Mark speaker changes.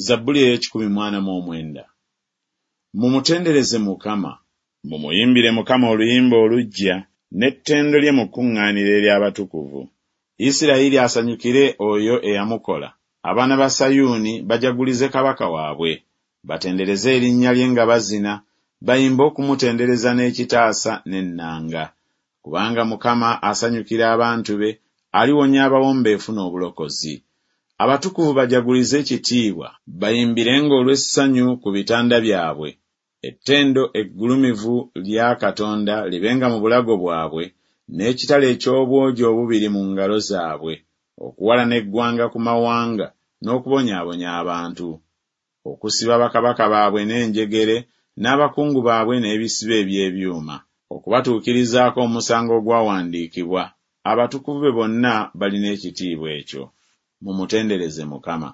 Speaker 1: Zabbuli ey'ekikumi mu ana mu omwenda. Mumutendereze Mukama. Mumuyimbire Mukama oluyimba oluggya, n'ettendo lye mu kkuŋŋaaniro ery'abatukuvu. Isirayiri asanyukire oyo eyamukola, abaana ba Sayuuni bajagulize kabaka waabwe. Batendereze erinnya lye nga bazina, bayimbe okumutendereza n'ekitaasa n'ennanga. Kubanga Mukama asanyukira abantu be, aliwonya abawombeefu n'obulokozi. Abatukuvu bajagulize ekitiibwa, bayimbirenga olw'essanyu ku bitanda byabwe. Ettendo eggulumivu lya Katonda libenga mu bulago bwabwe, n'ekitala eky'obwogi obubiri mu ngalo zaabwe, okuwalana eggwanga ku mawanga, n'okubonyaabonya abantu. Okusiba bakabaka baabwe n'enjegere, n'abakungu baabwe n'ebisiba eby'ebyuma, okubatuukirizaako omusango ogwawandiikibwa. Abatukuvu be bonna balina ekitiibwa ekyo. Mumutendereze Mukama.